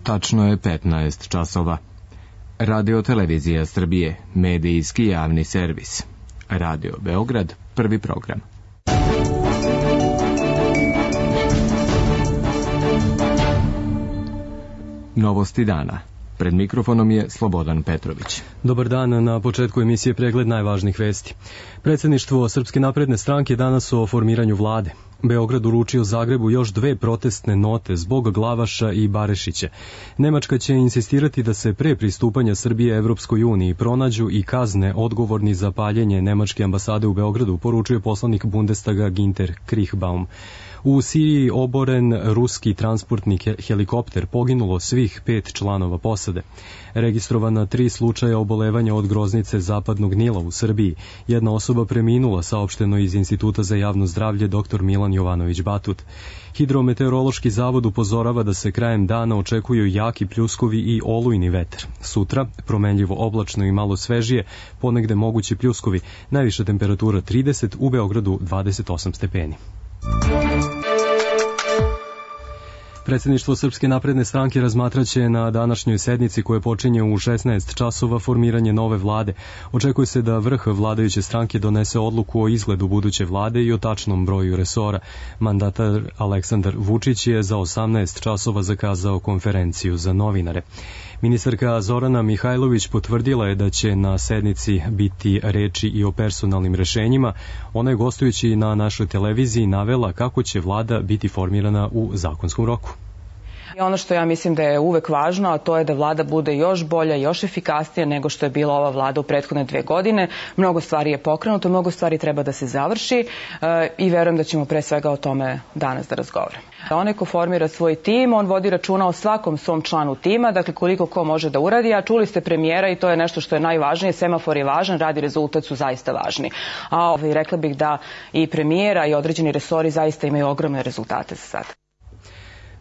Tačno je 15 časova. Radio Televizija Srbije, medijski javni servis. Radio Beograd, prvi program. Novosti dana. Pred mikrofonom je Slobodan Petrović. Dobar dan, na početku emisije pregled najvažnijih vesti. Predsjedništvo Srpske napredne stranke danas o formiranju vlade. Beograd uručio Zagrebu još 2 protestne note zbog Glavaša i Barešića. Nemačka će insistirati da se pre pristupanja Srbije Evropskoj uniji pronađu i kazne odgovorni za paljenje nemačke ambasade u Beogradu, poručuje poslanik Bundestaga Ginter Krichbaum. U Siriji oboren ruski transportni helikopter, poginulo svih 5 članova posade. Registrovana 3 slučaja obolevanja od groznice zapadnog Nila u Srbiji. Jedna osoba preminula, saopšteno iz Instituta za javno zdravlje dr. Milan Jovanović Batut. Hidrometeorološki zavod upozorava da se krajem dana očekuju jaki pljuskovi i olujni vetar. Sutra, promenljivo oblačno i malo svežije, ponegde mogući pljuskovi, najviša temperatura 30, u Beogradu 28 stepeni. Predsjedništvo Srpske napredne stranke razmatraće na današnjoj sednici koje počinje u 16 časova formiranje nove vlade. Očekuje se da vrh vladajuće stranke donese odluku o izgledu buduće vlade i o tačnom broju resora. Mandatar Aleksandar Vučić je za 18 časova zakazao konferenciju za novinare. Ministarka Zorana Mihajlović potvrdila je da će na sednici biti reči i o personalnim rešenjima. Ona je gostujući na našoj televiziji navela kako će vlada biti formirana u zakonskom roku. Ono što ja mislim da je uvek važno, a to je da vlada bude još bolja, još efikasnija nego što je bila ova vlada u prethodne 2 godine. Mnogo stvari je pokrenuto, mnogo stvari treba da se završi i verujem da ćemo pre svega o tome danas da razgovaramo. Onaj ko formira svoj tim, on vodi računa o svakom svom članu tima, dakle koliko ko može da uradi, a čuli ste premijera i to je nešto što je najvažnije, semafor je važan, rad i rezultat su zaista važni. A rekla bih da i premijera i određeni resori zaista imaju ogromne rezultate za sada.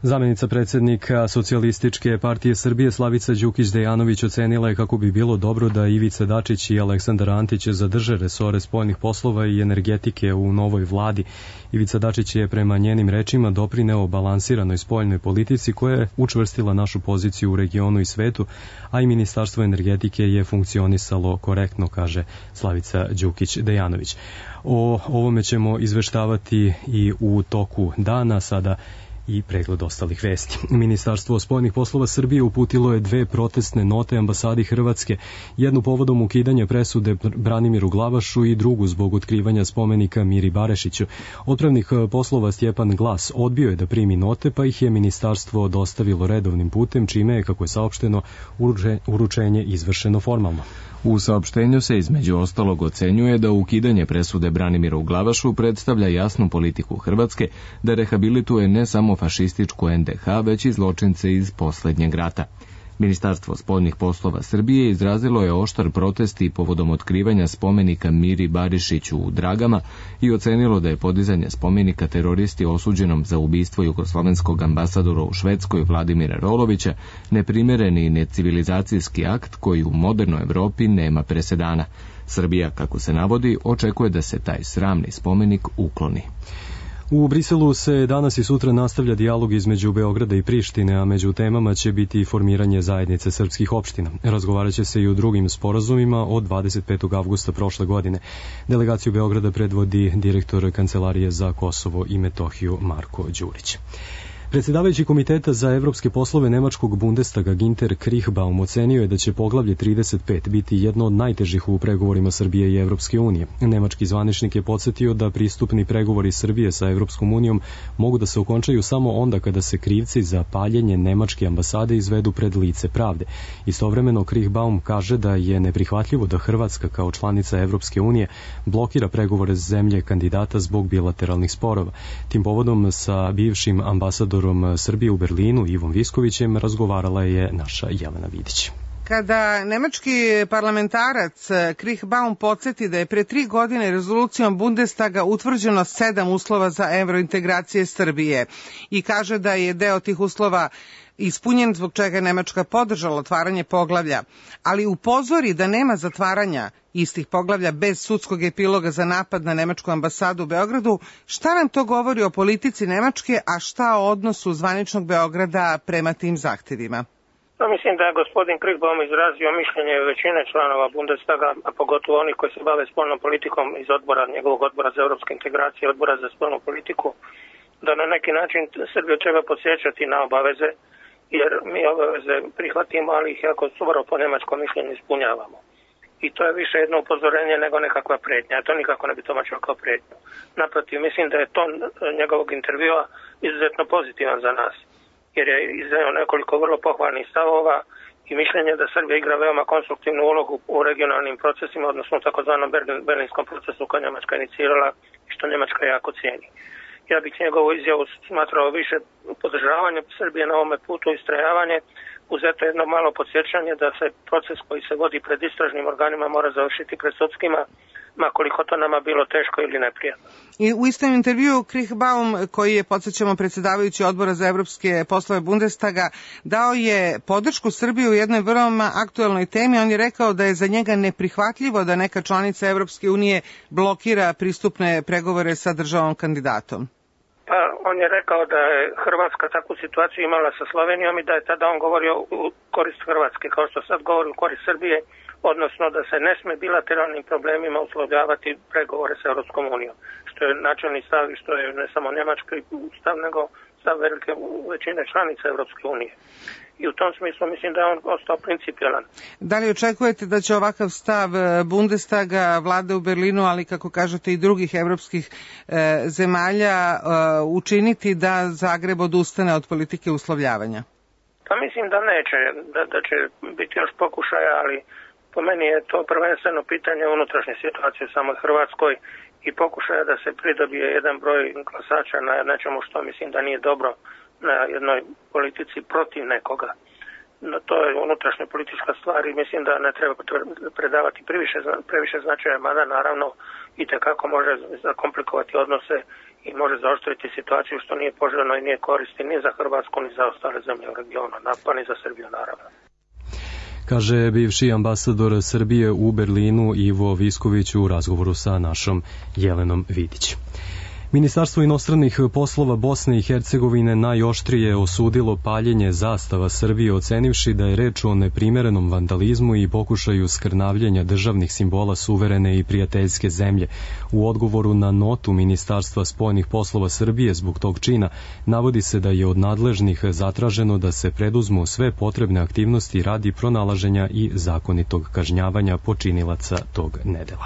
Zamenica predsjednika Socijalističke partije Srbije Slavica Đukić-Dejanović ocenila je kako bi bilo dobro da Ivica Dačić i Aleksandar Antić zadrže resore spoljnih poslova i energetike u novoj vladi. Ivica Dačić je prema njenim rečima doprineo balansiranoj spoljnoj politici koja je učvrstila našu poziciju u regionu i svetu, a i Ministarstvo energetike je funkcionisalo korektno, kaže Slavica Đukić-Dejanović. O ovome ćemo izveštavati i u toku dana. Sada i pregled ostalih vesti. Ministarstvo spoljnih poslova Srbije uputilo je 2 protestne note ambasadi Hrvatske, jednu povodom ukidanja presude Branimiru Glavašu i drugu zbog otkrivanja spomenika Miri Barešiću. Otpravnik poslova Stjepan Glas odbio je da primi note, pa ih je ministarstvo dostavilo redovnim putem, čime je, kako je saopšteno, uručenje izvršeno formalno. U saopštenju se između ostalog ocenjuje da ukidanje presude Branimiru Glavašu predstavlja jasnu politiku Hrvatske da rehabilituje ne samo fašističku NDH, već i zločince iz poslednjeg rata. Ministarstvo spoljnih poslova Srbije izrazilo je oštar protest i povodom otkrivanja spomenika Miri Barišiću u Dragama i ocenilo da je podizanje spomenika teroristi osuđenom za ubistvo jugoslovenskog ambasadora u Švedskoj Vladimira Rolovića neprimereni i necivilizacijski akt koji u modernoj Evropi nema presedana. Srbija, kako se navodi, očekuje da se taj sramni spomenik ukloni. U Briselu se danas i sutra nastavlja dijalog između Beograda i Prištine, a među temama će biti formiranje zajednice srpskih opština. Razgovarat će se i o drugim sporazumima od 25. avgusta prošle godine. Delegaciju Beograda predvodi direktor Kancelarije za Kosovo i Metohiju Marko Đurić. Predsjedavajući Komiteta za evropske poslove nemačkog Bundestaga Ginter Krichbaum ocenio je da će poglavlje 35 biti jedno od najtežih u pregovorima Srbije i Evropske unije. Nemački zvaničnik je podsjetio da pristupni pregovori Srbije sa Evropskom unijom mogu da se okončaju samo onda kada se krivci za paljenje nemačke ambasade izvedu pred lice pravde. Istovremeno Krichbaum kaže da je neprihvatljivo da Hrvatska kao članica Evropske unije blokira pregovore zemlje kandidata zbog bilateralnih sporova. Tim povodom sa bivšim ambasadorom Srbije u Berlinu Ivom Viskovićem razgovarala je naša Jelena Vidić. Kada nemački parlamentarac Krichbaum podsjeti da je pre 3 godine rezolucijom Bundestaga utvrđeno 7 uslova za evrointegracije Srbije i kaže da je deo tih uslova ispunjen zbog čega je Nemačka podržala otvaranje poglavlja, ali upozori da nema zatvaranja istih poglavlja bez sudskog epiloga za napad na nemačku ambasadu u Beogradu. Šta nam to govori o politici Nemačke, a šta o odnosu zvaničnog Beograda prema tim zahtevima? Mislim da je gospodin Kriegbaum izrazio mišljenje većine članova Bundestaga, a pogotovo oni koji se bave spoljnom politikom iz njegovog odbora za europske integracije, odbora za spoljnu politiku, da na neki način Srbiju treba podsjećati na obaveze, jer mi obaveze prihvatimo, ali ih jako skoro po njemačkom mišljenju ispunjavamo. I to je više jedno upozorenje nego nekakva prijetnja. Ja to nikako ne bi tumačio kao prijetnju. Naprotiv, mislim da je ton njegovog intervjua izuzetno pozitivan za nas, jer je izneo nekoliko vrlo pohvalnih stavova i mišljenje da Srbija igra veoma konstruktivnu ulogu u regionalnim procesima, odnosno u takozvanom berlinskom procesu koji Njemačka inicirala i što Njemačka jako cijeni. Ja bih njegovu izjavu smatrao više podržavanje Srbije na ovome putu, istrajavanje, uz eto jedno malo podsjećanje da se proces koji se vodi pred istražnim organima mora završiti pred sudskima, makoliko to nama bilo teško ili neprijatno. I u istom intervju Kriegbaum, koji je, podsjećamo, predsjedavajući odbora za evropske poslove Bundestaga, dao je podršku Srbiji u jednoj vrlo aktuelnoj temi. On je rekao da je za njega neprihvatljivo da neka članica Evropske unije blokira pristupne pregovore sa državom kandidatom. Pa on je rekao da je Hrvatska takvu situaciju imala sa Slovenijom i da je tada on govorio u korist Hrvatske, kao što sad govori u korist Srbije, odnosno da se ne sme bilateralnim problemima uslovljavati pregovore sa Europskom unijom, što je načelni stav i što je ne samo njemački stav, nego stav velike većine članica Europske unije. I u tom smislu mislim da je on ostao principijelan. Da li očekujete da će ovakav stav Bundestaga, vlade u Berlinu, ali kako kažete i drugih evropskih zemalja, učiniti da Zagreb odustane od politike uslovljavanja? Pa mislim da neće, da će biti još pokušaja, ali po meni je to prvenstveno pitanje unutrašnje situacije u samoj Hrvatskoj i pokušaja da se pridobije jedan broj glasača na nečemu što mislim da nije dobro, na jednoj politici protiv nekoga. No, to je unutrašnja politička stvar i mislim da ne treba predavati previše značaja, mada naravno itekako može zakomplikovati odnose i može zaoštriti situaciju što nije poželjno i nije koristi ni za Hrvatsku ni za ostale zemlje u regionu, pa ni za Srbiju naravno. Kaže bivši ambasador Srbije u Berlinu Ivo Visković u razgovoru sa našom Jelenom Vidić. Ministarstvo inostranih poslova Bosne i Hercegovine najoštrije osudilo paljenje zastava Srbije, ocenivši da je reč o neprimerenom vandalizmu i pokušaju skrnavljenja državnih simbola suverene i prijateljske zemlje. U odgovoru na notu Ministarstva spoljnih poslova Srbije zbog tog čina navodi se da je od nadležnih zatraženo da se preduzmu sve potrebne aktivnosti radi pronalaženja i zakonitog kažnjavanja počinilaca tog nedela.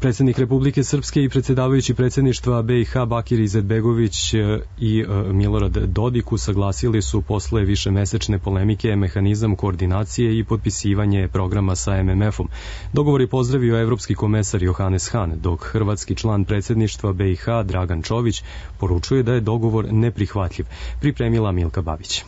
Predsjednik Republike Srpske i predsjedavajući predsjedništva BiH Bakir Izetbegović i Milorad Dodik usaglasili su posle višemesečne polemike mehanizam koordinacije i potpisivanje programa sa MMF-om. Dogovor je pozdravio evropski komesar Johannes Hahn, dok hrvatski član predsjedništva BiH Dragan Čović poručuje da je dogovor neprihvatljiv. Pripremila Milka Babić.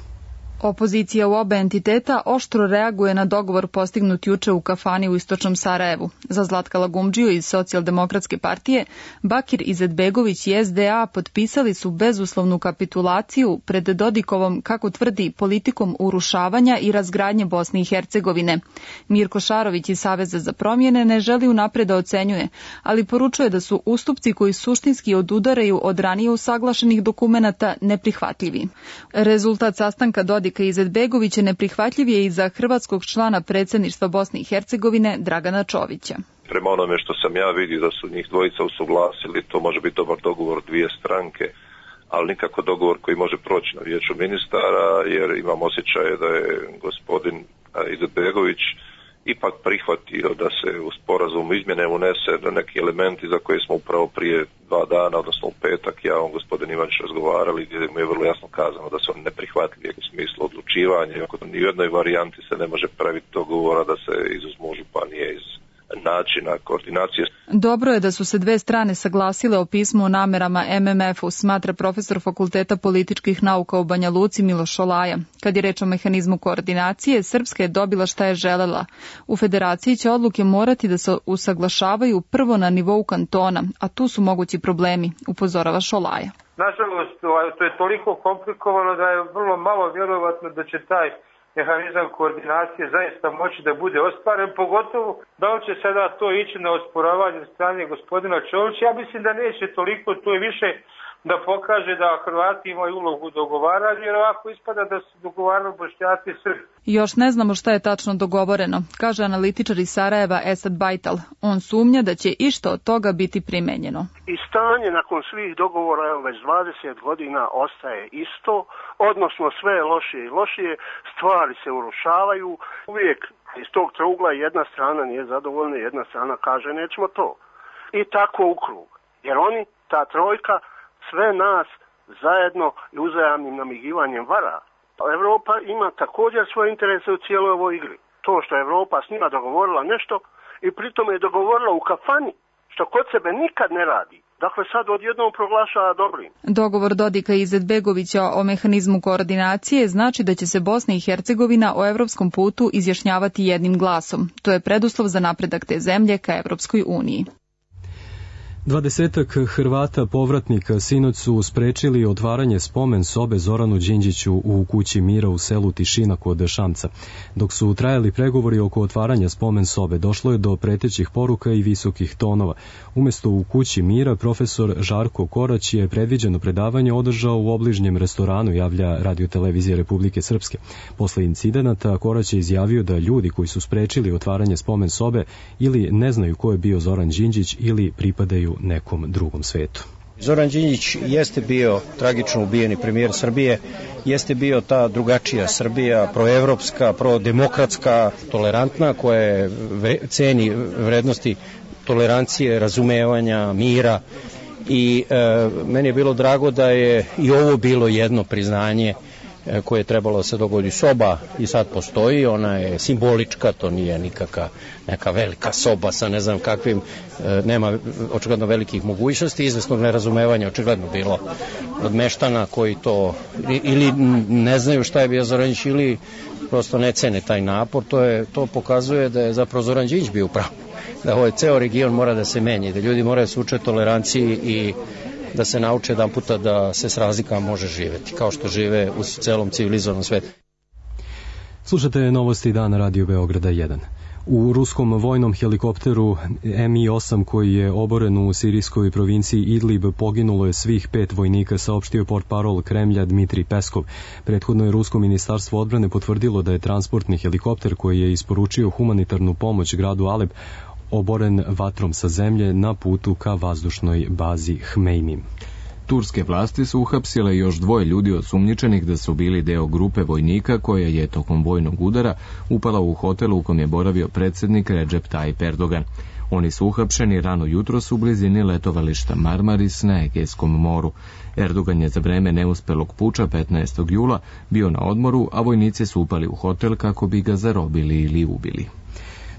Opozicija u oba entiteta oštro reaguje na dogovor postignut juče u kafani u istočnom Sarajevu. Za Zlatka Lagumdžiju iz Socijaldemokratske partije, Bakir Izetbegović i SDA potpisali su bezuslovnu kapitulaciju pred Dodikovom, kako tvrdi, politikom urušavanja i razgradnje Bosne i Hercegovine. Mirko Šarović iz Saveza za promjene ne želi unapred da ocenjuje, ali poručuje da su ustupci koji suštinski odudaraju od ranije usaglašenih dokumenata neprihvatljivi. Rezultat sastanka Dodika i Izetbegovića neprihvatljiv je i za hrvatskog člana predsjedništva Bosne i Hercegovine Dragana Čovića. Prema onome što sam ja vidio da su njih dvojica usuglasili, to može biti dobar dogovor dvije stranke, ali nikako dogovor koji može proći na vijeću ministara, jer imam osjećaj da je gospodin Izetbegović ipak prihvatio da se u sporazumu izmjene unese neki elementi za koje smo upravo prije 2 dana, odnosno u petak, ja on gospodin Ivanić razgovarali, gdje mu je vrlo jasno kazano da su oni neprihvatljivi u smislu odlučivanja. Ni u jednoj varijanti se ne može praviti dogovora da se izuzmu županije iz načina koordinacije. Dobro je da su se dve strane saglasile o pismu o namerama MMF-u, smatra profesor Fakulteta političkih nauka u Banja Luci Miloš Šolaja. Kad je reč o mehanizmu koordinacije, Srpska je dobila šta je želela. U federaciji će odluke morati da se usaglašavaju prvo na nivou kantona, a tu su mogući problemi, upozorava Šolaja. Nažalost, to je toliko komplikovano da je vrlo malo vjerovatno da će taj mehanizam koordinacije zaista moći da bude ostvaren, pogotovo da li će sada to ići na osporavanje strane gospodina Čovića. Ja mislim da neće toliko, to je više da pokaže da Hrvati imaju ulogu u dogovaranju, jer ovako ispada da su dogovarali Bošnjaci i Srbi. Još ne znamo šta je tačno dogovoreno, kaže analitičar iz Sarajeva Esad Bajtal. On sumnja da će išta od toga biti primenjeno. I stanje nakon svih dogovora već 20 godina ostaje isto, odnosno sve je lošije i lošije, stvari se urušavaju, uvijek iz tog trougla jedna strana nije zadovoljna, jedna strana kaže nećemo to. I tako u krug, jer oni, ta trojka, sve nas zajedno i uzajamnim namigivanjem vara. Evropa ima također svoje interese u cijeloj ovoj igri. To što je Evropa s njima dogovorila nešto i pritom je dogovorila u kafani, što kod sebe nikad ne radi. Dakle, sad odjednom proglašava dobrim. Dogovor Dodika i Izetbegovića o mehanizmu koordinacije znači da će se Bosna i Hercegovina o evropskom putu izjašnjavati jednim glasom. To je preduslov za napredak te zemlje ka Evropskoj uniji. 20 Hrvata povratnika sinoć su sprečili otvaranje spomen sobe Zoranu Đinđiću u kući mira u selu Tišina kod Šamca. Dok su trajali pregovori oko otvaranja spomen sobe, došlo je do pretećih poruka i visokih tonova. Umjesto u kući mira, profesor Žarko Korać je predviđeno predavanje održao u obližnjem restoranu, javlja Radio-televizija Republike Srpske. Posle incidenata Korać je izjavio da ljudi koji su sprečili otvaranje spomen sobe ili ne znaju ko je bio Zoran Đinđić ili pripadaju nekom drugom svetu. Zoran Đinđić jeste bio tragično ubijeni premijer Srbije, jeste bio ta drugačija Srbija, proevropska, prodemokratska, tolerantna, koja ceni vrednosti tolerancije, razumevanja, mira i meni je bilo drago da je i ovo bilo jedno priznanje koje je trebalo da se dogodi. Soba i sad postoji, ona je simbolička, to nije nikakva neka velika soba sa ne znam kakvim, nema očigledno velikih mogućnosti, izvesnog nerazumevanja očigledno bilo od meštana koji to ili ne znaju šta je bio Zoranđić ili prosto ne cene taj napor. To pokazuje da je zapravo Zoran Đinđić bio upravo, da ovaj ceo region mora da se menja, da ljudi moraju da se uče toleranciji i da se nauče jedan puta da se s razlikama može živeti, kao što žive u celom civilizovanom svetu. Slušate novosti dana Radio Beograda 1. U ruskom vojnom helikopteru Mi-8 koji je oboren u sirijskoj provinciji Idlib poginulo je svih 5 vojnika, saopštio portparol Kremlja Dmitrij Peskov. Prethodno je rusko ministarstvo odbrane potvrdilo da je transportni helikopter koji je isporučio humanitarnu pomoć gradu Alep oboren vatrom sa zemlje na putu ka vazdušnoj bazi Hmeimim. Turske vlasti su uhapsile još 2 ljudi osumnjičenih da su bili deo grupe vojnika koja je tokom vojnog udara upala u hotel u kom je boravio predsjednik Recep Tayyip Erdogan. Oni su uhapšeni rano jutros u blizini letovališta Marmaris na Egejskom moru. Erdogan je za vreme neuspelog puča 15. jula bio na odmoru, a vojnici su upali u hotel kako bi ga zarobili ili ubili.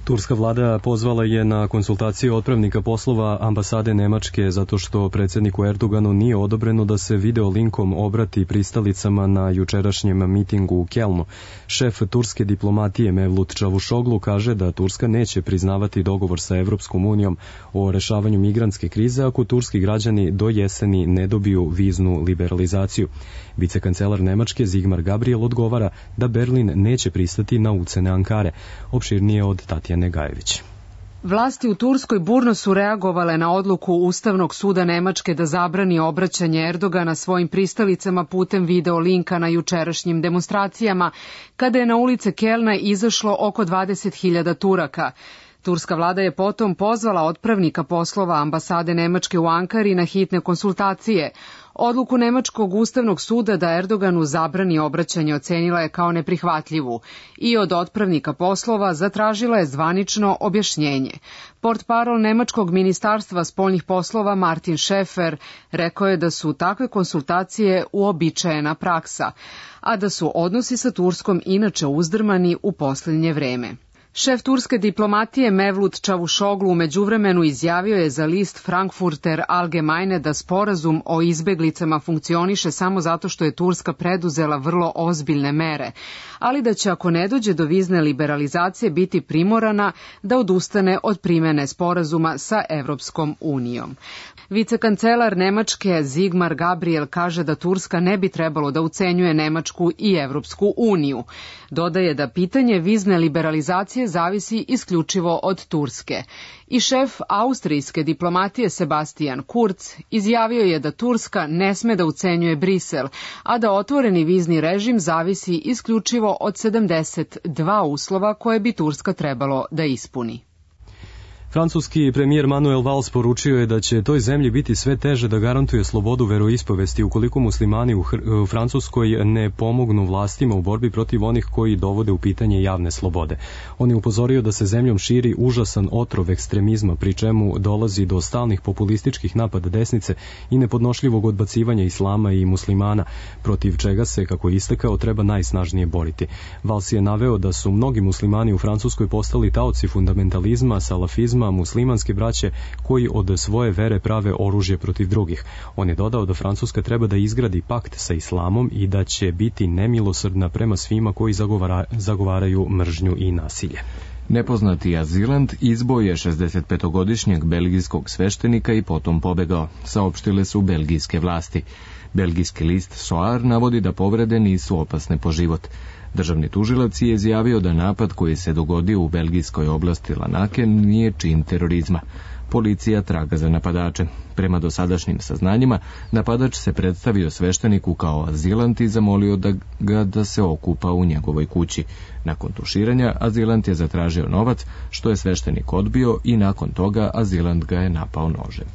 Turska vlada pozvala je na konsultacije otpravnika poslova ambasade Nemačke zato što predsjedniku Erdoganu nije odobreno da se video linkom obrati pristalicama na jučerašnjem mitingu u Kelnu. Šef turske diplomatije Mevlut Čavuşoglu kaže da Turska neće priznavati dogovor sa Evropskom unijom o rešavanju migrantske krize ako turski građani do jeseni ne dobiju viznu liberalizaciju. Vicekancelar Nemačke Sigmar Gabriel odgovara da Berlin neće pristati na ucene Ankare. Opširnije od Tatjane Gajević. Vlasti u Turskoj burno su reagovale na odluku Ustavnog suda Nemačke da zabrani obraćanje Erdogana svojim pristalicama putem video linka na jučerašnjim demonstracijama, kada je na ulice Kelna izašlo oko 20.000 Turaka. Turska vlada je potom pozvala otpravnika poslova ambasade Nemačke u Ankari na hitne konsultacije. Odluku Nemačkog ustavnog suda da Erdoganu zabrani obraćanje ocenila je kao neprihvatljivu i od otpravnika poslova zatražila je zvanično objašnjenje. Portparol Nemačkog ministarstva spoljnih poslova Martin Schäfer rekao je da su takve konsultacije uobičajena praksa, a da su odnosi sa Turskom inače uzdrmani u posljednje vreme. Šef turske diplomatije Mevlut Čavuşoglu u međuvremenu izjavio je za list Frankfurter Allgemeine da sporazum o izbeglicama funkcioniše samo zato što je Turska preduzela vrlo ozbiljne mere, ali da će ako ne dođe do vizne liberalizacije biti primorana da odustane od primene sporazuma sa Evropskom unijom. Vicekancelar Nemačke Sigmar Gabriel kaže da Turska ne bi trebalo da ucenjuje Nemačku i Evropsku uniju. Dodaje da pitanje vizne liberalizacije integracije zavisi isključivo od Turske. I šef austrijske diplomatije Sebastian Kurz izjavio je da Turska ne sme da ucenjuje Brisel, a da otvoreni vizni režim zavisi isključivo od 72 uslova koje bi Turska trebalo da ispuni. Francuski premijer Manuel Valls poručio je da će toj zemlji biti sve teže da garantuje slobodu veroispovesti ukoliko muslimani u Francuskoj ne pomognu vlastima u borbi protiv onih koji dovode u pitanje javne slobode. On je upozorio da se zemljom širi užasan otrov ekstremizma, pri čemu dolazi do stalnih populističkih napada desnice i nepodnošljivog odbacivanja islama i muslimana, protiv čega se, kako je istakao, treba najsnažnije boriti. Valls je naveo da su mnogi muslimani u Francuskoj postali taoci fundamentalizma, salafizma, muslimanske braće koji od svoje vere prave oružje protiv drugih. On je dodao da Francuska treba da izgradi pakt sa islamom i da će biti nemilosrdna prema svima koji zagovaraju mržnju i nasilje. Nepoznati azilant izboj je 65-godišnjeg belgijskog sveštenika i potom pobegao, saopštile su belgijske vlasti. Belgijski list Soir navodi da povrede nisu opasne po život. Državni tužilac je izjavio da napad koji se dogodio u belgijskoj oblasti Lanaken nije čin terorizma. Policija traga za napadače. Prema dosadašnjim saznanjima, napadač se predstavio svešteniku kao azilant i zamolio da se okupa u njegovoj kući. Nakon tuširanja, azilant je zatražio novac, što je sveštenik odbio i nakon toga azilant ga je napao nožem.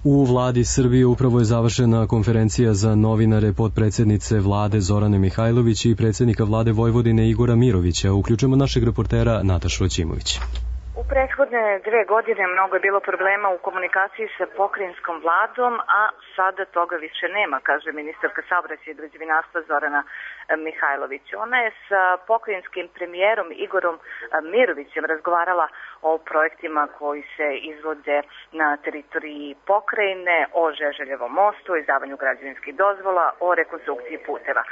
U vladi Srbije upravo je završena konferencija za novinare potpredsednice vlade Zorane Mihajlović i predsjednika vlade Vojvodine Igora Mirovića. Uključujemo našeg reportera Natašu Ćimović. U prethodne 2 godine mnogo je bilo problema u komunikaciji sa pokrajinskom vladom, a sada toga više nema, kaže ministarka saobraćaja i građevinarstva Zorana Mihajlović. Ona je sa pokrajinskim premijerom Igorom Mirovićem razgovarala o projektima koji se izvode na teritoriji pokrajine, o Žeželjevom mostu, o izdavanju građevinskih dozvola, o rekonstrukciji puteva.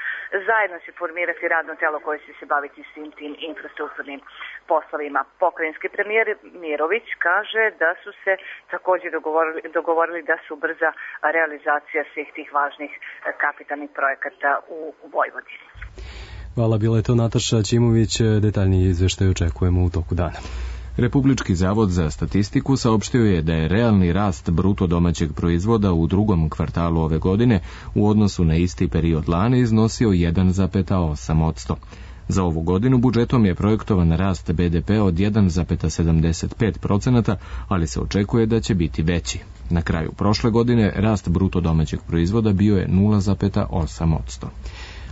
Zajedno će formirati radno telo koje će se baviti svim tim infrastrukturnim poslovima. Pokrajinski premijer Mirović kaže da su se također dogovorili da se ubrza realizacija svih tih važnih kapitalnih projekata u Vojvodini. Hvala, bila je to Nataša Ćimović. Detaljniji izveštaj očekujemo u toku dana. Republički zavod za statistiku saopštio je da je realni rast bruto domaćeg proizvoda u drugom kvartalu ove godine u odnosu na isti period lani iznosio 1,8%. Za ovu godinu budžetom je projektovan rast BDP od 1,75%, ali se očekuje da će biti veći. Na kraju prošle godine rast bruto domaćeg proizvoda bio je 0,8%.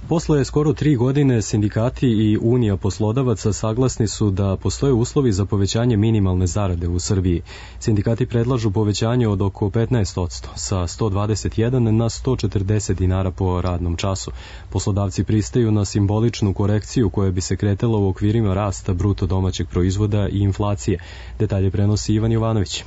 Posle skoro 3 godine sindikati i Unija poslodavaca saglasni su da postoje uslovi za povećanje minimalne zarade u Srbiji. Sindikati predlažu povećanje od oko 15%, sa 121 na 140 dinara po radnom času. Poslodavci pristaju na simboličnu korekciju koja bi se kretala u okvirima rasta bruto domaćeg proizvoda i inflacije. Detalje prenosi Ivan Jovanović.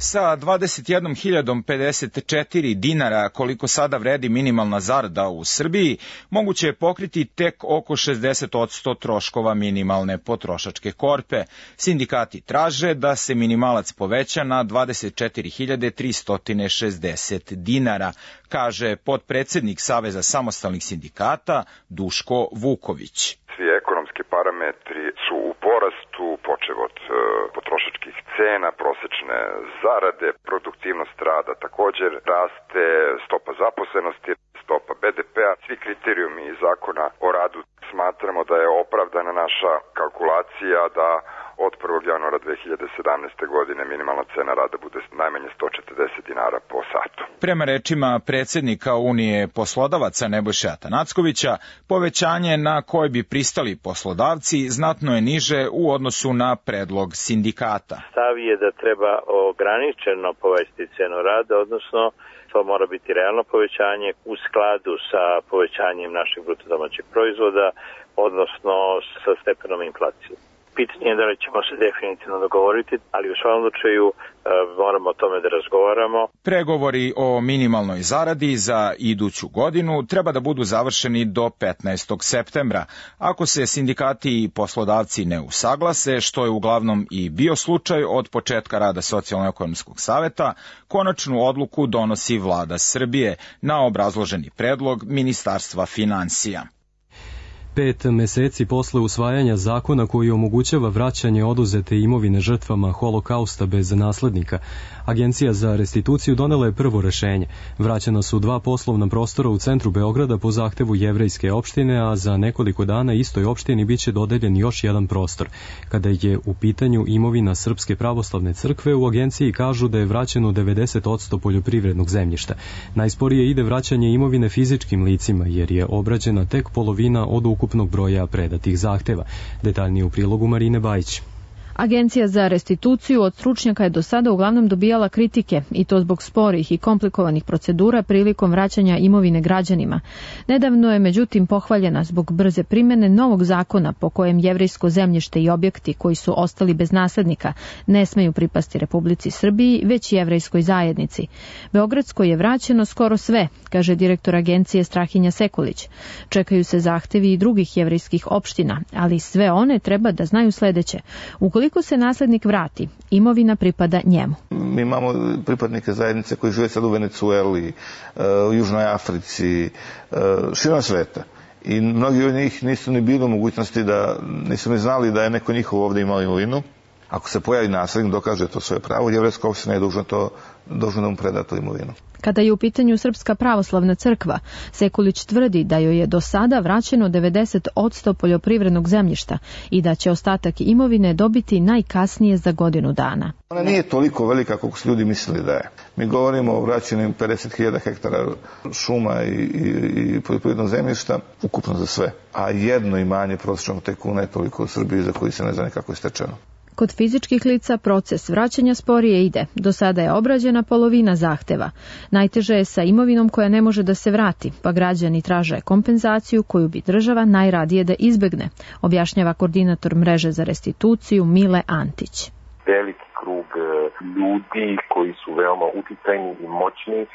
Sa 21.054 dinara, koliko sada vredi minimalna zarada u Srbiji, moguće je pokriti tek oko 60% troškova minimalne potrošačke korpe. Sindikati traže da se minimalac poveća na 24.360 dinara, kaže potpredsednik Saveza samostalnih sindikata Duško Vuković. Svi ekonomski parametri su u porastu, počev od potrošačkih cena, prosečne zarade, produktivnost rada također raste, stopa zaposlenosti, stopa BDP-a, svi kriterijumi iz zakona o radu. Smatramo da je opravdana naša kalkulacija da od 1. januara 2017. godine minimalna cena rada bude najmanje 140 dinara po satu. Prema rečima predsjednika Unije poslodavaca Nebojše Atanackovića, povećanje na koje bi pristali poslodavci znatno je niže u odnosu na predlog sindikata. Stav je da treba ograničeno povećati cenu rada, odnosno to mora biti realno povećanje u skladu sa povećanjem našeg bruto domaćeg proizvoda, odnosno sa stepenom inflacije. pitanje je da li ćemo se definitivno dogovoriti, ali u svakom slučaju moramo o tome da razgovaramo. Pregovori o minimalnoj zaradi za iduću godinu treba da budu završeni do 15. septembra. Ako se sindikati i poslodavci ne usaglase, što je uglavnom i bio slučaj od početka rada Socijalno-ekonomskog saveta, konačnu odluku donosi Vlada Srbije na obrazloženi predlog Ministarstva finansija. 5 meseci posle usvajanja zakona koji omogućava vraćanje oduzete imovine žrtvama Holokausta bez naslednika, Agencija za restituciju donela je prvo rešenje. Vraćena su 2 poslovna prostora u centru Beograda po zahtevu jevrejske opštine, a za nekoliko dana istoj opštini biće dodeljen još jedan prostor. Kada je u pitanju imovina Srpske pravoslavne crkve, u agenciji kažu da je vraćeno 90% poljoprivrednog zemljišta. Najsporije ide vraćanje imovine fizičkim licima, jer je obrađena tek polovina od ukupnog broja predatih zahteva. Detaljnije u prilogu Marine Bajić. Agencija za restituciju od stručnjaka je do sada uglavnom dobijala kritike, i to zbog sporih i komplikovanih procedura prilikom vraćanja imovine građanima. Nedavno je međutim pohvaljena zbog brze primjene novog zakona po kojem jevrejsko zemljište i objekti koji su ostali bez naslednika ne smeju pripasti Republici Srbiji, već jevrejskoj zajednici. Beogradskoj je vraćeno skoro sve, kaže direktor agencije Strahinja Sekulić. Čekaju se zahtevi i drugih jevrejskih opština, ali sve one treba da znaju sledeće. Ukoliko se naslednik vrati, imovina pripada njemu. Mi imamo pripadnike zajednice koji žive sad u Venecueli, u Južnoj Africi, širom sveta. I mnogi od njih nisu ni bili u mogućnosti nisu ni znali da je neko njihov ovde imao imovinu. Ako se pojavi naslednik, dokaže to svoje pravo, jevrejska opština je dužna da mu preda tu imovinu. Kada je u pitanju Srpska pravoslavna crkva, Sekulić tvrdi da joj je do sada vraćeno 90% poljoprivrednog zemljišta i da će ostatak imovine dobiti najkasnije za godinu dana. Ona nije toliko velika kako su ljudi mislili da je. Mi govorimo o vraćenim 50.000 hektara šuma i poljoprivrednog zemljišta, ukupno za sve. A jedno imanje prosječnog tajkuna je toliko u Srbiji za koji se ne zna kako je stečeno. Kod fizičkih lica proces vraćanja sporije ide. Do sada je obrađena polovina zahteva. Najteže je sa imovinom koja ne može da se vrati, pa građani traže kompenzaciju koju bi država najradije da izbegne, objašnjava koordinator mreže za restituciju Mile Antić. Veliki krug ljudi koji su veoma uticajni i moćni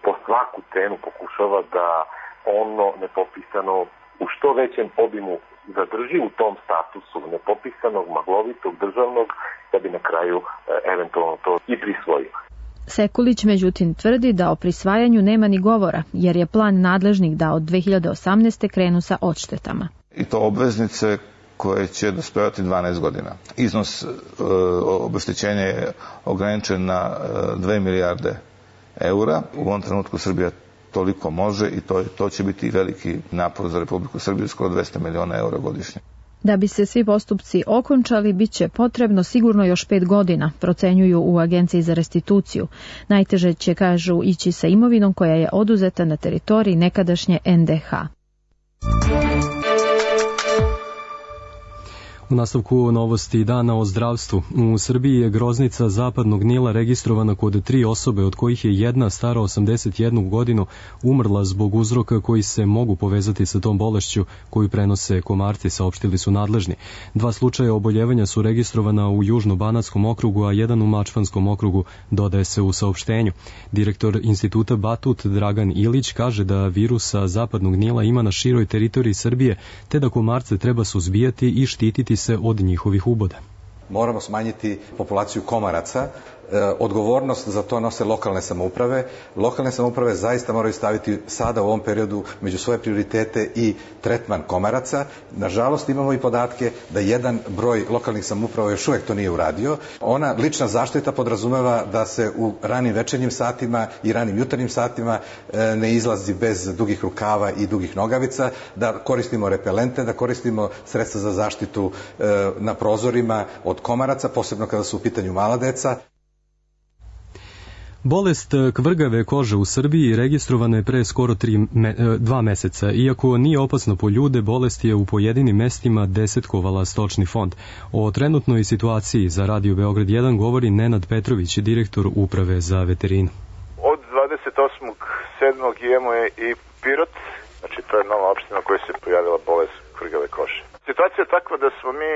po svaku cenu pokušava da ono nepopisano u što većem obimu zadrži u tom statusu nepopisanog, maglovitog, državnog, da bi na kraju eventualno to i prisvojio. Sekulić međutim tvrdi da o prisvajanju nema ni govora, jer je plan nadležnih da od 2018. krenu sa odštetama. I to obveznice koje će dospevati 12 godina. Iznos obeštećenja je ograničen na 2 milijarde eura. U ovom trenutku Srbija toliko može i to će biti veliki napor za Republiku Srbiju, skoro 200 miliona eura godišnje. Da bi se svi postupci okončali, bit će potrebno sigurno još 5 godina, procenjuju u Agenciji za restituciju. Najteže će, kažu, ići sa imovinom koja je oduzeta na teritoriji nekadašnje NDH. U nastavku novosti dana o zdravstvu. U Srbiji je groznica zapadnog Nila registrovana kod 3 osobe, od kojih je jedna stara 81 godinu umrla zbog uzroka koji se mogu povezati sa tom bolešću koju prenose komarci, saopštili su nadležni. 2 slučaja oboljevanja su registrovana u Južno-Banatskom okrugu, a jedan u Mačvanskom okrugu, dodaje se u saopštenju. Direktor instituta Batut Dragan Ilić kaže da virusa zapadnog Nila ima na široj teritoriji Srbije, te da komarce treba suzbijati i štititi se od njihovih uboda. Moramo smanjiti populaciju komaraca. Odgovornost za to nose lokalne samouprave. Lokalne samouprave zaista moraju staviti sada u ovom periodu među svoje prioritete i tretman komaraca. Nažalost imamo i podatke da jedan broj lokalnih samouprava još uvek to nije uradio. Ona lična zaštita podrazumeva da se u ranim večernjim satima i ranim jutarnjim satima ne izlazi bez dugih rukava i dugih nogavica, da koristimo repelente, da koristimo sredstva za zaštitu na prozorima od komaraca, posebno kada su u pitanju mala deca. Bolest kvrgave kože u Srbiji registrovana je pre skoro 2 meseca. Iako nije opasna po ljude, bolest je u pojedinim mestima desetkovala stočni fond. O trenutnoj situaciji za Radio Beograd 1 govori Nenad Petrović, direktor Uprave za veterinu. Od 28.7. imamo je i Pirot, znači to je nova opština u kojoj se pojavila bolest kvrgave kože. Situacija je takva da smo mi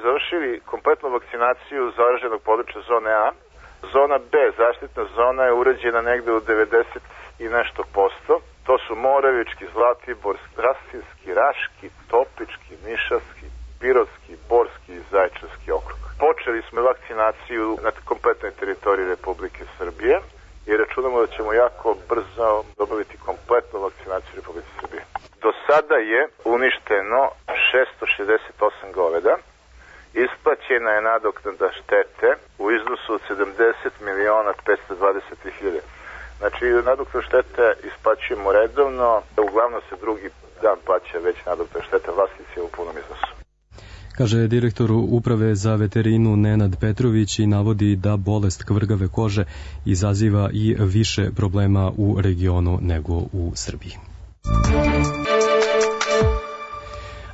završili kompletnu vakcinaciju zaraženog područja zone A. Zona B, zaštitna zona, je urađena negde u 90 i nešto posto. To su Moravički, Zlatiborski, Rasinski, Raški, Toplički, Nišavski, Pirotski, Borski i Zaječarski okrug. Počeli smo vakcinaciju na kompletnoj teritoriji Republike Srbije i računamo da ćemo jako brzo dobaviti kompletnu vakcinaciju Republike Srbije. Do sada je uništeno 668 goveda, isplaćena je nadoknada štete u iznosu od 70.520.000. Znači, nadoknadu štete isplaćujemo redovno, uglavnom se drugi dan plaća već nadoknada štete vlasnici u punom iznosu. Kaže direktor Uprave za veterinu Nenad Petrović i navodi da bolest kvrgave kože izaziva i više problema u regionu nego u Srbiji.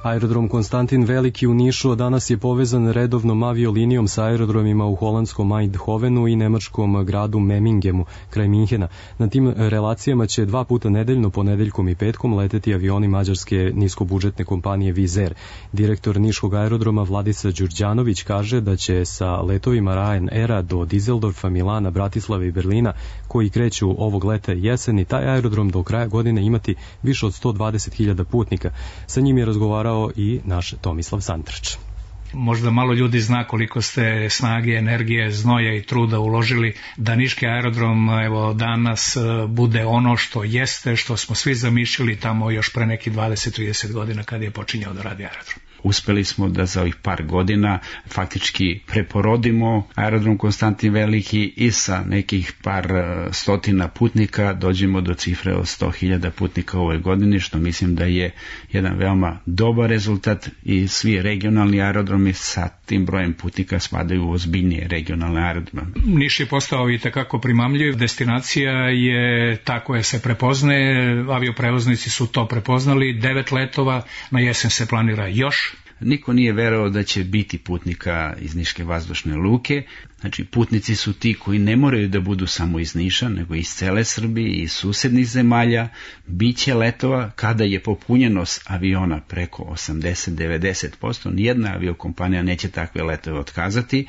Aerodrom Konstantin Veliki u Nišu danas je povezan redovnom aviolinijom sa aerodromima u holandskom Eindhovenu i nemačkom gradu Memingemu, kraj Minhena. Na tim relacijama će 2 puta nedeljno, ponedeljkom i petkom, leteti avioni mađarske niskobudžetne kompanije Wizz Air. Direktor niškog aerodroma Vladica Đurđanović kaže da će sa letovima Ryanaira do Dizeldorfa, Milana, Bratislave i Berlina, koji kreću ovog leta i jeseni, taj aerodrom do kraja godine imati više od 120.000 putnika. Sa njim je razgovarao i naš Tomislav Santrač. Možda malo ljudi zna koliko ste snage, energije, znoja i truda uložili da niški aerodrom danas bude ono što jeste, što smo svi zamišljali tamo još pre nekih 20-30 godina kada je počinjao da radi aerodrom. Uspeli smo da za ovih par godina faktički preporodimo aerodrom Konstantin Veliki i sa nekih par stotina putnika dođemo do cifre od 100.000 putnika u ovoj godini, što mislim da je jedan veoma dobar rezultat i svi regionalni aerodromi sa tim brojem putnika spadaju u ozbiljnije regionalne aerodrome. Niš je postao i takako primamljiv, destinacija je ta koja se prepoznaje, avioprevoznici su to prepoznali, 9 letova, na jesen se planira još. Niko nije verovao da će biti putnika iz Niške vazdušne luke. Znači, putnici su ti koji ne moraju da budu samo iz Niša, nego iz cele Srbije i iz susednih zemalja. Biće letova kada je popunjenost aviona preko 80-90%. Nijedna aviokompanija neće takve letove otkazati,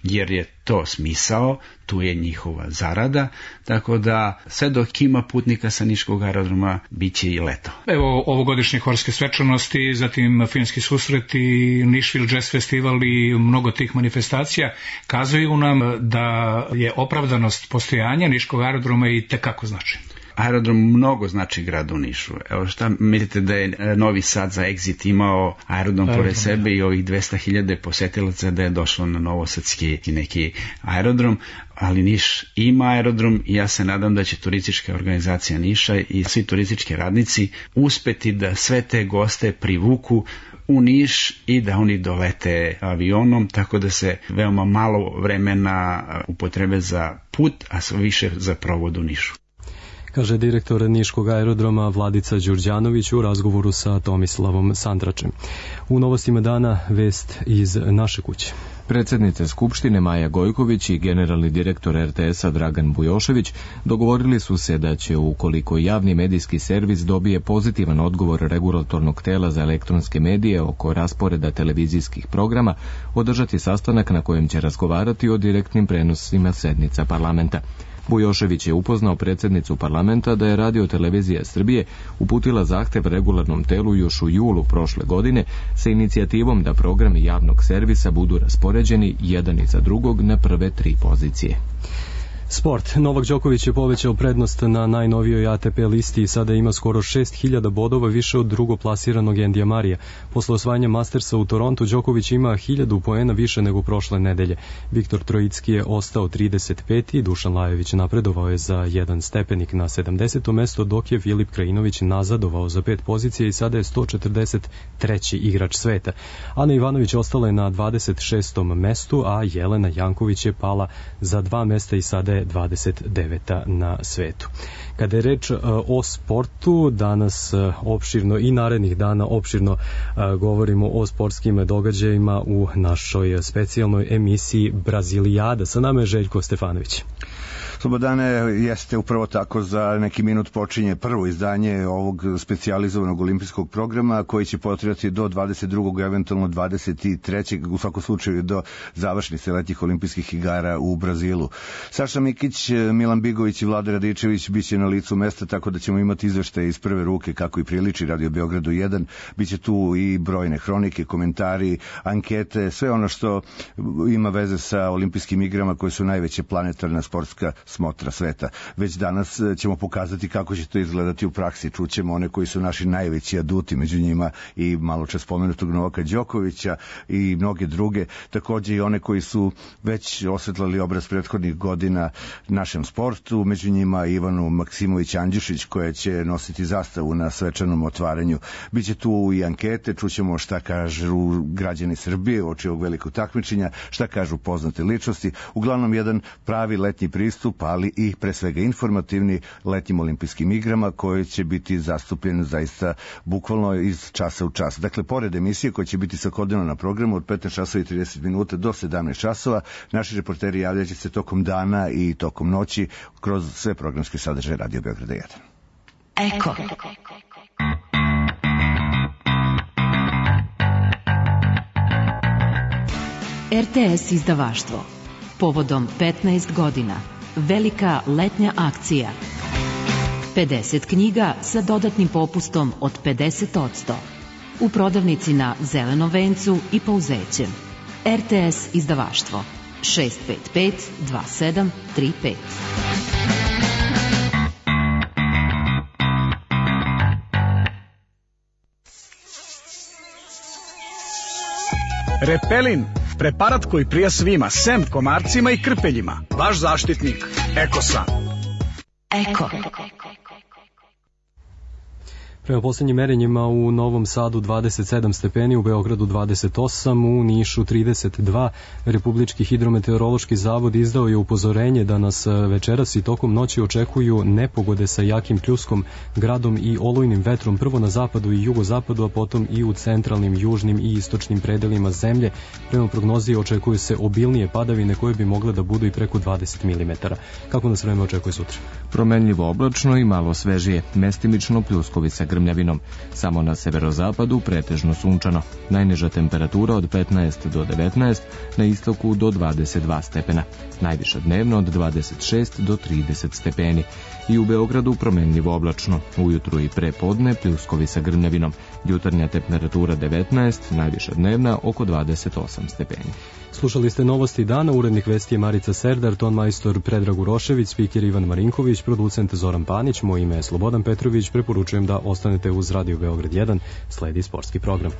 jer je to smisao, tu je njihova zarada, tako da sve dok ima putnika sa niškog aerodroma, bit će i leto. Evo ovogodišnje horske svečanosti, zatim filmski susreti, Nišvil Jazz Festival i mnogo tih manifestacija kazuju nam da je opravdanost postojanja niškog aerodroma i tekako znači. Aerodrom mnogo znači gradu Nišu. Evo šta mislite da je Novi Sad za Exit imao aerodrom pored sebe i ovih 200.000 posetilaca da je došlo na novosadski neki aerodrom, ali Niš ima aerodrom i ja se nadam da će turistička organizacija Niša i svi turistički radnici uspeti da sve te goste privuku u Niš i da oni dolete avionom, tako da se veoma malo vremena upotrebe za put, a sve više za provod u Nišu. Kaže direktor niškog aerodroma Vladica Đurđanović u razgovoru sa Tomislavom Santračem. U novostima dana vest iz naše kuće. Predsjednica Skupštine Maja Gojković i generalni direktor RTS-a Dragan Bujošević dogovorili su se da će, ukoliko javni medijski servis dobije pozitivan odgovor regulatornog tela za elektronske medije oko rasporeda televizijskih programa, održati sastanak na kojem će razgovarati o direktnim prenosima sednica parlamenta. Bujošević je upoznao predsjednicu parlamenta da je Radio-televizija Srbije uputila zahtev regularnom telu još u julu prošle godine sa inicijativom da programi javnog servisa budu raspoređeni jedan iza drugog na prve 3 pozicije. Sport. Novak Đoković je povećao prednost na najnovijoj ATP listi i sada ima skoro 6.000 bodova više od drugoplasiranog Endija Marija. Posle osvajanja Mastersa u Torontu, Đoković ima 1.000 poena više nego prošle nedelje. Viktor Trojicki je ostao 35. Dušan Lajović napredovao je za 1 stepenik na 70. mesto, dok je Filip Krajinović nazadovao za 5 pozicija i sada je 143. igrač sveta. Ana Ivanović ostala je na 26. mestu, a Jelena Janković je pala za 2 mesta i sada je 29. na svetu. Kada je reč o sportu, danas opširno i narednih dana opširno govorimo o sportskim događajima u našoj specijalnoj emisiji Brazilijada. Sa nama je Željko Stefanović. Slobodane, jeste upravo tako, za neki minut počinje prvo izdanje ovog specijalizovanog olimpijskog programa koji će potrajati do 22. eventualno 23. u svakom slučaju do završnice letnjih olimpijskih igara u Brazilu. Saša Mikić, Milan Bigović i Vlada Radičević biće na licu mesta, tako da ćemo imati izveštaje iz prve ruke kako i priliči Radio Beogradu 1. Biće tu i brojne hronike, komentari, ankete, sve ono što ima veze sa olimpijskim igrama koje su najveća planetarna sportska smotra sveta. Već danas ćemo pokazati kako će to izgledati u praksi. Čućemo one koji su naši najveći aduti, među njima i malo čas spomenutog Novaka Đokovića i mnoge druge, takođe i one koji su već osvetlali obraz prethodnih godina našem sportu, među njima Ivanu Maksimović Andjušić koja će nositi zastavu na svečanom otvaranju. Biće tu i ankete, čućemo šta kažu građani Srbije uoči ovog velikog takmičenja, šta kažu poznate ličnosti. Uglavnom jedan pravi letnji pristup, ali i pre svega informativni letnjim olimpijskim igrama koji će biti zastupljen zaista bukvalno iz časa u čas. Dakle, pored emisije koja će biti svakodnevno na programu od 15 časova i 30 minuta do 17 časova, naši reporteri javljaće se tokom dana i tokom noći kroz sve programske sadržaje Radio Beograda 1. Eko. RTS izdavaštvo. Povodom 15 godina. Velika letnja akcija. 50 knjiga sa dodatnim popustom od 50%. U prodavnici na Zelenom vencu i Pauzećem. RTS izdavaštvo. 655 2735. Repelin, preparat koji prija svima, sem komarcima i krpeljima. Vaš zaštitnik, Ekosan. Eko. Prema posljednjim merenjima u Novom Sadu 27 stepeni, u Beogradu 28, u Nišu 32. Republički hidrometeorološki zavod izdao je upozorenje da nas večeras i tokom noći očekuju nepogode sa jakim pljuskom, gradom i olujnim vetrom, prvo na zapadu i jugozapadu, a potom i u centralnim, južnim i istočnim predelima zemlje. Prema prognozi očekuju se obilnije padavine koje bi mogle da budu i preko 20 mm. Kako nas vreme očekuje sutra? Promenljivo oblačno i malo svežije, mestimično pljuskovica grmljavinom. Samo na severozapadu pretežno sunčano. Najniža temperatura od 15 do 19, na istoku do 22 stepena. Najviša dnevno od 26 do 30 stepeni. I u Beogradu promenljivo oblačno. Ujutru i pre podne pljuskovi sa grmljavinom. Jutarnja temperatura 19, najviša dnevna oko 28 stepeni. Slušali ste novosti dana, urednik vesti je Marica Serdar, ton majstor Predrag Urošević, spiker Ivan Marinković, producent Zoran Panić, moje ime je Slobodan Petrović, preporučujem da ostanete uz Radio Beograd 1, sledi sportski program.